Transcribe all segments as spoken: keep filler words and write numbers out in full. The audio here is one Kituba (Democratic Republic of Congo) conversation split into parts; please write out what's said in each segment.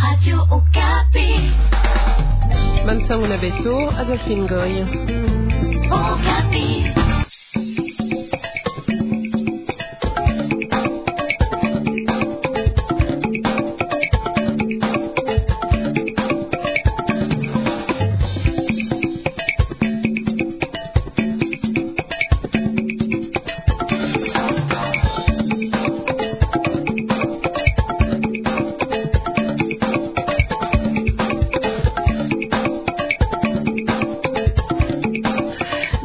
Radio Okapi. Bansangu na beto, Adolphine Goy. Okapi.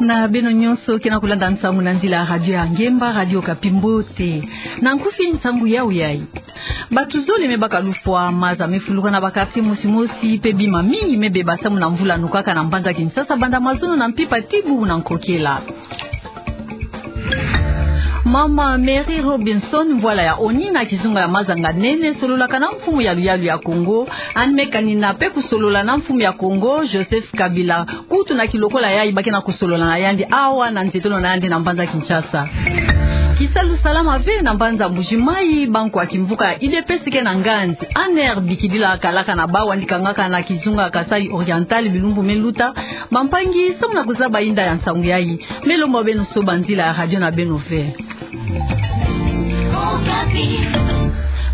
Na beno nyonso ke na kulanda nsangu na nzila ya radio ya Ngemba, Radio Okapi, mbote. Na nkufi nsangu yau yai. Bato zole me baka lufwa, maza me fuluka na ba quartier mosi mosi, pe bima mingi me beba samu na mvula nukaka na mbanza Kinshasa banda mazono na mpimpa ti bubu na nkokela. Mama Mary Robinson, mvwala ya oni na kizunga ya maza nga nene, sololaka na mfumu ya luyalu ya Kongo, yandi me kanina pe kusolola na mfumu ya Kongo, Joseph Kabila, kutu na kilokola yai ba ke na kusolola na yandi awa na nzietolo na yandi na mbanza Kinshasa. Kisalu salama ve na mbanza Mbuji-Mayi, bankwa kimvuka ya U D P S ke na nganzi, Anne Bikidila kalaka na bawu yandi kangaka na kizunga Kasaï Oriental bilumbu me luta, bampangi, samu na kuzaba inda ya nsangu yai, me lomba beno soba nzila ya radio na beno ve.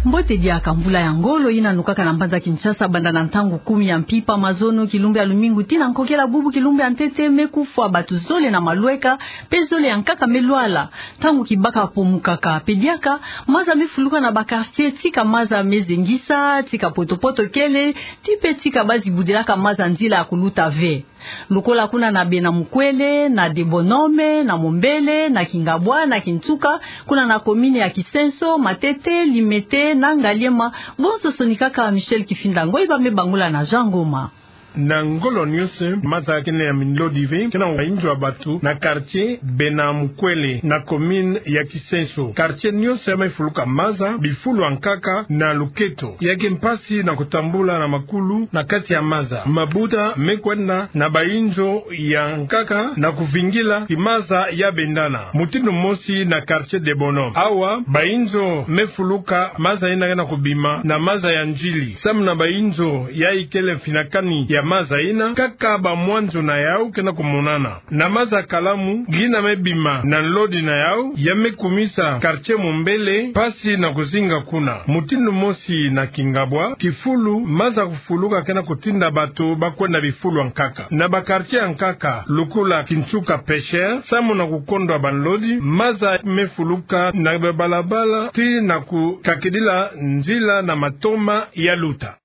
Mbote diaka. Mvula ya ngolo yina nukaka na mbanza Kinshasa banda na ntangu kumi ya mpimpa mazono, kilumbu ya lumingu tii na nkokela bubu kilumbu ya ntete, me kufwa bato zole na malweka, pe zole ya nkaka me lwala. Ntangu kibaka pomukaka, pe diaka, maza me fuluka na ba quartier, tika maza me zengisa, tika poto-poto kele, tii pe tika ba zibudilaka maza nzila ya kuluta ve. Lokola kuna na Bena Mukwele, na Debonome, na Mombele, na Kingabwa, na Kinsuka, kuna na commune ya Kisenso, Matete, Limete, na Ngaliema, bonso sonikaka. Michel Kifinda Ngoiba me bangula na Jean Ngoma. Na ngolo nyonso, maza ke na ya minlodi ve, ke na bainzo ya bato, na quartier Bena Mukwele, na commune ya Kisenso. Quartier nyonso ya me fuluka maza, bifulu ya nkaka, na luketo. Ya ke mpasi na kutambula na makulu na kati ya maza. Mabuta me kwenda na bainzo ya nkaka na kuvingila ti maza ya bendana. Mutindu mosi na quartier Debonome. Awa, bainzo me fuluka maza yina ke na kubima na maza ya nzili. Samu na bainzo ya ikele mfinakani ya maza yina, kaka bamwanzo na yau ke na kumonana. Na maza kalamu, yina me bima na nlodi na yau, ya me kumisa quartier Mombele mpasi na kuzinga kuna. Mutindu mosi na Kingabwa, kifulu, maza kufuluka ke na kutinda bato ba kwenda bifulu ya nkaka. Na ba quartier ya nkaka, lokola Kinsuka Pêcheur, samu na kukondwa banlodi, maza me fuluka na babalabala, tii na kukakidila nzila na matoma ya luta.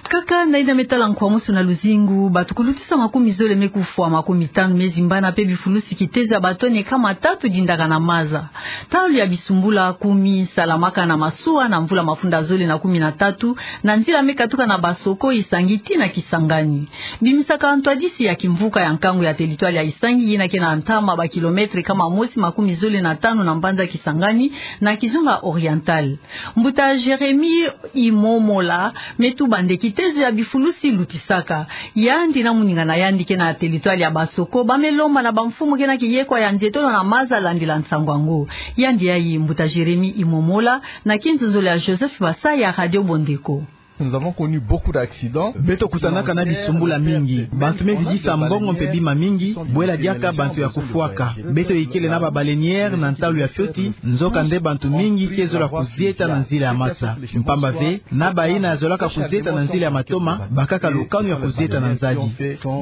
Kaka na yina me tala nkwamusu na luzingu, bato kulutisa makumi zole me kufwa, makumi tanu me zimbana, pe bifulusi kitezo ya batone kama tatu dindaka na maza. Ntalu ya bisumbula kumi salamaka na masuwa na mvula mafunda zole na kumi na tatu, na nzila me katuka na Basoko, Isangi tii na Kisangani. Bimisaka ntwadisi ya kimvuka ya nkangu ya territoire ya Isangi, yina ke na ntama ba kilomètre kama mosi makumi zole na tanu na mbanza Kisangani, na kizunga Oriental. Mbuta Jérémie Imomola me tuba nde kitezo ya bifulusi lutisaka. Yandi na moninga na yandi ke na territoire ya Basoko, ba me lomba na bamfumu ke na kiyekwa ya nzietolo na maza landila nsangu yango. Yandi yai Mbuta Jérémie Imomola, na kinzonzolo ya Joseph Basaya, Radio Bondeko. Nous avons connu beaucoup d'accidents. Beto kutanaka na bisumbula mingi. Bantu me zitisa mbongo mpe bima mingi, bwela diaka bantu ya kufwaka. Beto ikele na ba baleinière na ntalu ya fioti, nzoka nde bantu mingi ke zola kuzieta na nzila ya masa. Mpamba ve, na bayina ya zolaka kuzieta na nzila ya matoma, bakaka lukanu ya kuzieta na nzadi.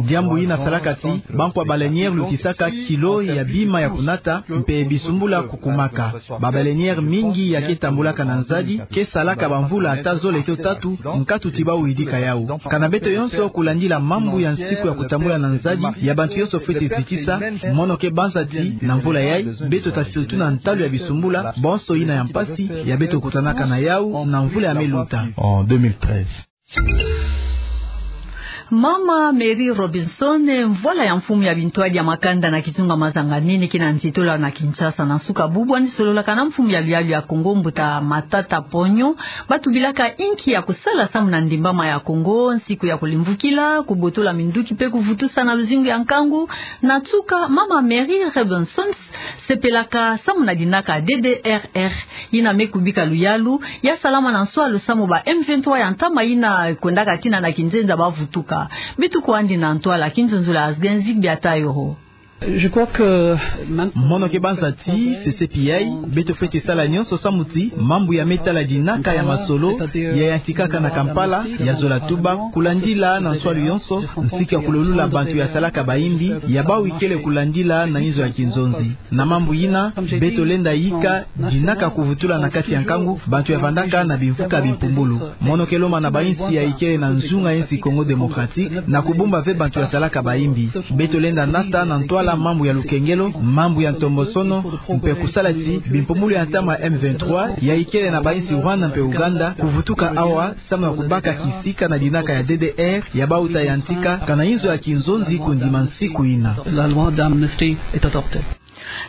Diambu yina salaka ti, bankwa baleinière lutisaka kilo ya bima ya kunata, mpe bisumbula kukumaka. Ba baleinière mingi ya ke tambulaka na nzadi, ke salaka bamvula ata zole to tatu, nkatu ti bau yidika yau. Kana beto yonso kulandila mambu ya nsiku ya kutambula na nzadi, ya bantu yonso fwete zitisa, mono ke banza ti, na mvula yai, beto ta fiotuna ntalu ya bisumbula, bonso yina ya mpasi, ya beto kutanaka na yau, na mvula ya me luta. En deux mille treize. Mama Mary Robinson, mvwala ya mfumu ya bintwadi ya makanda na kizunga Mazanganene, ke na nzitula na Kinshasa. Na nsuka bubu, andi sololaka na mfumu ya luyalu ya Kongo, Mbuta Matata Ponyo, batubilaka inki ya kusala samu na ndimbama ya Kongo, nsiku ya kulimvukila, kubotola minduki mpe kuvutusa na luzingu ya nkangu. Na nsuka, Mama Mary Robinson sepelaka samu na dinaka D D R R, yina me kubika luyalu ya salama na nswalu samu ba M vingt-trois ya ntama yina kwendaka tina na kinzenza bavutuka. Beto kwandi na ntwala, kinzonzolo ya Asgenzi Biatayoro. Je crois que maintenant... Mono ke banza ti, C C P I, beto fwete sala nyonso samu ti mambu ya me tala dinaka ya masolo ya yantikaka na Kampala ya zola tuba, kulandila na nswalu yonso, nsiku ya kulolula bantu ya salaka bayimbi, ya bawu ikele kulandila na inzo ya kinzonzi. Na mambu yina, beto lenda yika dinaka kuvutula na kati ya nkangu bantu ya vandaka na bimvuka bimpumbulu. Mono ke lomba na bayinsi ya ikele na nzunga ya insi Congo Démocratique na kubumba ve bantu ya salaka bayimbi. Beto lenda nata na ntwala mambu ya lukengelo, mambu ya ntombosono, mpe kusala ti bimpumbulu ya ntama M vingt-trois ya ikele na bayinsi Rwanda mpe Uganda kuvutuka awa, samu na kubaka kisika na dinaka ya D D R ya bawu ta yantika kana inzo ya kinzonzi kundima nsiku yina. La loi d'amnistie est adoptée.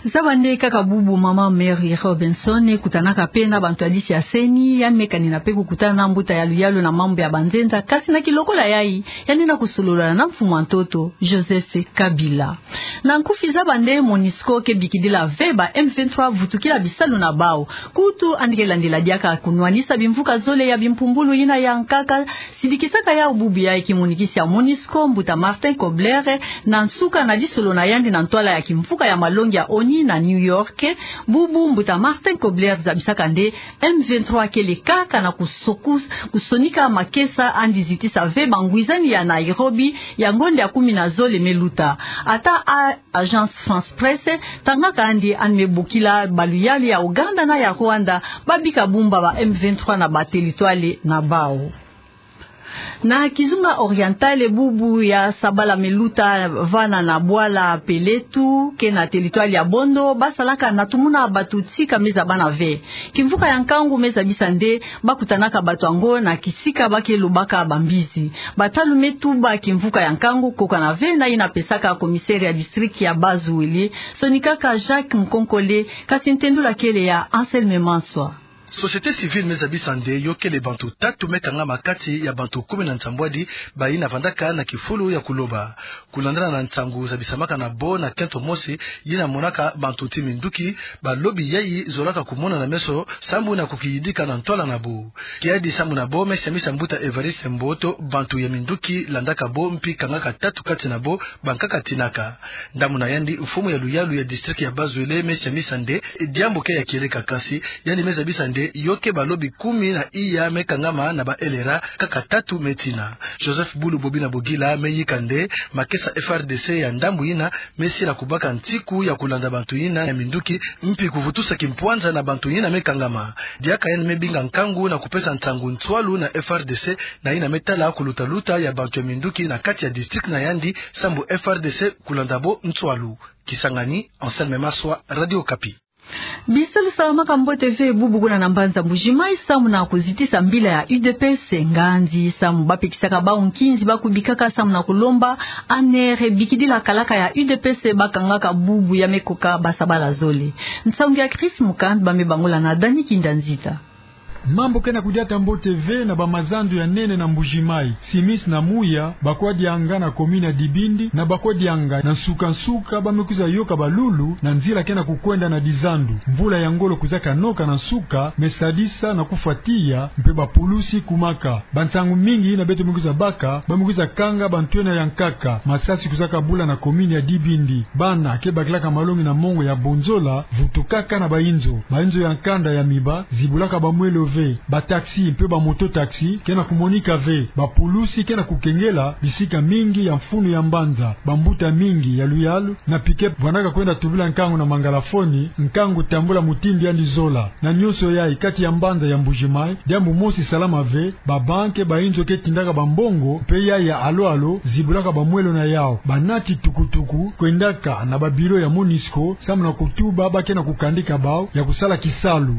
Zaba nde kaka bubu Mama Mary Robinson kutanaka mpe na bantu ya disi ya seni, yandi me kanina mpe kukutana na mbuta ya luyalu na mambu ya banzenza, kasi na kilokola yayi, yandi na kusolola na mfumu ya ntoto, Joseph Kabila. Na nkufi, zaba nde MONUSCO ke bikidila ve ba M vingt-trois vutukila bisalu na bawu. Kutu andi ke landila diaka kunwanisa bimvuka zole ya bimpumbulu yina ya nkaka, sidikisaka yawu bubu yayi kimonikisi ya MONUSCO, Mbuta Martin Kobler, na nsuka na disolo na yandi na ntwala ya kimvuka ya malongi ya ONU na New York. Bubu Mbuta Martin Kobler zabisaka nde M vingt-trois kele kaka na kusokus-, kusonika makesa, andi zitisa ve bangwizani ya Nairobi ya ngonda ya kumi na zole me luta. Ata a-, Agence France Presse tangaka nde andi me bokila ba luyalu ya Uganda na ya Rwanda babika bumba ba M vingt-trois na ba territoire na bawu. Na kizunga Oriental, bubu ya sabala me luta vana na bwala Peletu, ke na territoire ya Bondo, basalaka na tumuna bantu tika me zabana ve. Kimvuka ya nkangu me zabisa nde bakutanaka bantu yango na kisika ba ke lobaka bambizi. Batalu me tuba kimvuka ya nkangu kokana ve na yina pesaka commissaire ya district ya Bas-Uele, sonikaka Jacques Nkonkole, kasi ntendula kele ya Anselme Manswa. Société civile me zabisa nde yo kele bantu tatu me kangama kati ya bantu kumi na nsambwadi bayina vandaka na kifulu ya kuloba. Kulandana na nsangu zabisamaka na bo na kento mosi yina monaka bantu ti minduki, balobi yayi zolaka kumonana meso sambu na kukiyidika na ntwala na bo. Kiadi sambu na bo, me siamisa Mbuta Evariste Mboto, bantu ya minduki landaka bo mpi kangaka tatu kati na bo bankaka tinaka. Ndambu na yandi, mfumu ya luyalu ya district ya Bas-Uele me siamisa nde diambu ke ya kieleka, kasi yandi me zabisa nde yo ke balobi kumi na iya me kangama na ba L R A, kaka tatu me tina. Joseph Bulu Bobina Bogila me yika nde makesa F R D C ya ndambu yina me sila kubaka ntiku ya kulanda bantu yina ya minduki, mpi kuvutusa kimpwanza na bantu yina me kangama. Diaka yandi me binga nkangu na kupesa nsangu nswalu na F R D C na yina me tala kulutaluta ya bantu ya minduki na kati ya district na yandi, sambu F R D C kulanda bo nswalu. Kisangani, Anselme Manswa, Radio Okapi. Bisalu salamaka mbote ve bubu kuna na mbanza Mbuji-Mayi samu na kuzitisa mbila ya U D P S, nganzi samu bapekisaka bawu nkinzi bakubikaka samu na kulomba A N R bikidila kalaka ya U D P S bakangaka bubu ya me koka basabala zole. Nsangu ya Chris Mukand, ba me bangula na Dani Kinda Nzita. Mambu ke na kudiata mbote ve na bamazandu ya nene na Mbuji-Mayi. Simis na Muya, Bakwa Dianga na commune ya Dibindi, na Bakwa Dianga na nsuka-nsuka ba me kwiza yoka balulu na nzila ke na kukwenda na dizandu. Mvula ya ngolo kwizaka noka na nsuka me sadisa na kufwa tiya, mpe bapulusi kumaka. Bansangu mingi yina beto me kwiza baka, ba me kwiza kanga bantwenia ya nkaka. Masasi kwizaka bula na commune ya Dibindi. Bana ke bakilaka malongi na mongo ya Bonzola vutukaka na bainzo. Bainzo ya nkanda ya miba zibulaka bamwelo ve. Bataxi mpe bamoto-taxi ke na kumonika ve. Bapulusi ke na kukengela bisika mingi ya mfunu ya mbanza. Bambuta mingi ya luyalu na pick-up vandaka kwenda tubila nkangu na mangalafoni, nkangu tambula mutindu yandi zola. Na nyonso yayi, kati ya mbanza ya Mbuji-Mayi, diambu mosi salama ve. Babanke, bainzo ke tindaka bambongo, mpe yayi ya alo-alo zibulaka bamwelo na yawu. Banati tukutuku kwendaka na babiro ya MONUSCO samu na kutuba ba ke na kukandika bawu ya kusala kisalu.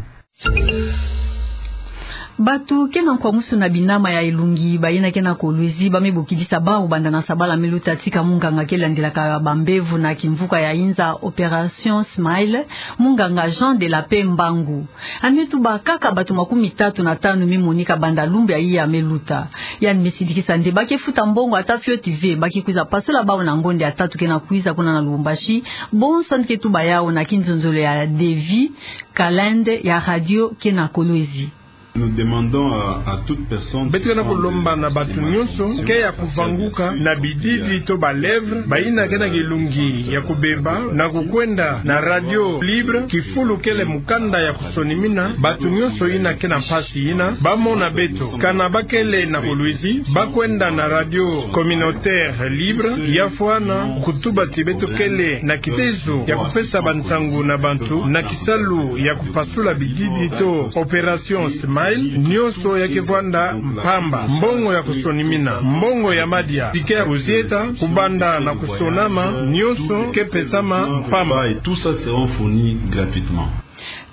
Bato ke na nkwamusu na binama ya elungi, bayina ke na Kolwezi, ba me bokidisa bawu banda na sabala me luta tika munganga ke landelaka bambevo na kimvuka ya inza, Opération Smile, munganga Jean de la Paix Mbangu. Yandi me tuba kaka bato makumi tatu na tanu me monika banda lumbu ya iya me luta. Yandi me sidikisa nde ba ke futa mbongo ata fioti ve, ba ke kwiza pasola bawu na ngonda ya tatu ke na kwiza kuna na Lubumbashi. Bonso yandi ke tuba yawu na kinzonzolo ya Davy Kalende ya radio ke na Kolwezi. Nous demandons à, à toute personne... Beto ke na kulomba na bato nyonso ke ya kuvanguka na bididi to ba lèvres, bayina ke na kilungi ya kubeba, na kukwenda na radio libre, kifulu kele mukanda ya kusonimina. Bato nyonso yina ke na mpasi yina, ba mona beto, kana ba kele na Kolwezi, ba kwenda na radio communautaire libre, ya fwana kutuba ti beto kele na kitezo ya kupesa bansangu na bantu na kisalu ya kupasula bididi to Opération Smile. Nyonso ya ke vwanda mpamba. Mbongo ya kusonimina, mbongo ya madia, ticket ya kuzieta, kubanda na kusonama, nyonso ke pesama mpamba. Et tout ça seront fournis gratuitement.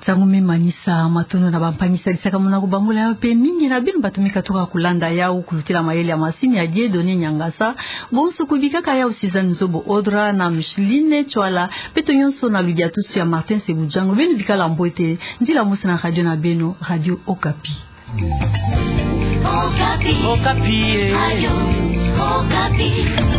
Nsangu me manisa, matondo na bampangi sadisakamona kubangula yawu mpe mingi na beno bato me katuka kulanda yawu kulutila mayele ya masini ya Dieudonné Niangasa. Bonso kubikaka yawu Suzanne Nzobo Odra na Micheline Chwala, beto nyonso na ludiatusu ya Martin Sebudjango. Beno bikala mbwete, ndila mosi na radio na beno, Radio Okapi. Okapi. Okapi, eh. Radio Okapi.